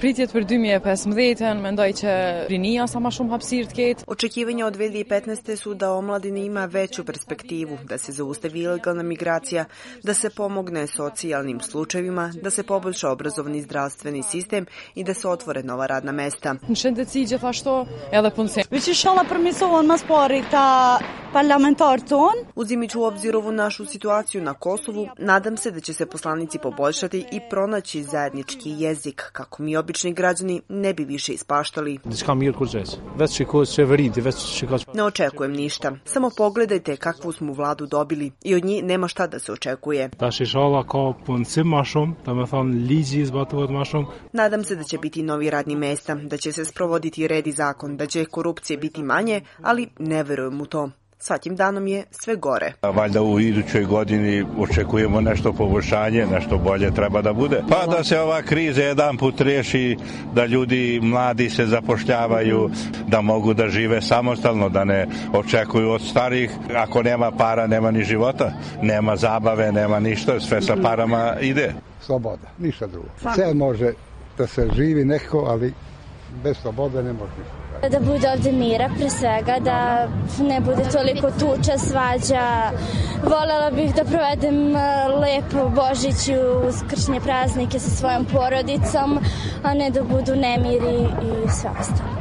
Pritjet për 2015 mendoj që rinia sa më shumë hapësirë të ketë. Očekivanja od 2015. su da omladina ima veću perspektivu, da se zaustavi ilegalna migracija, da se pomogne socijalnim slučajevima, da se poboljša obrazovni zdravstveni sistem i da se otvore nova radna mesta. Në shëndetësi gjithashtu edhe punësim. Veç inshallah përmirësohen mas pari ta parlamentarët tonë. Uzimajući u obzir ovu našu situaciju na Kosovu, nadam se da će se poslanici poboljšati i pronaći zajednički jezik kako mi obični građani ne bi više ispaštali. Ne očekujem ništa. Samo pogledajte kakvu smo vladu dobili i od njih nema šta da se očekuje. Nadam se da će biti novi radni mesta, da će se sprovoditi red i zakon, da će korupcije biti manje, ali ne verujem u to. Svakim danom je sve gore. Valjda u idućoj godini očekujemo nešto poboljšanje, nešto bolje treba da bude. Pa da se ova kriza jedan put riješi, da ljudi mladi se zapošljavaju, da mogu da žive samostalno, da ne očekuju od starih. Ako nema para, nema ni života, nema zabave, nema ništa, sve sa parama ide. Sloboda, ništa drugo. Sve može da se živi neko, ali bez slobode ne može ništa. Da bude ovde mira pre svega, da ne bude toliko tuča, svađa. Volela bih da provedem lepo Božić i uskršnje praznike sa svojom porodicom, a ne da budu nemiri i sve ostalo.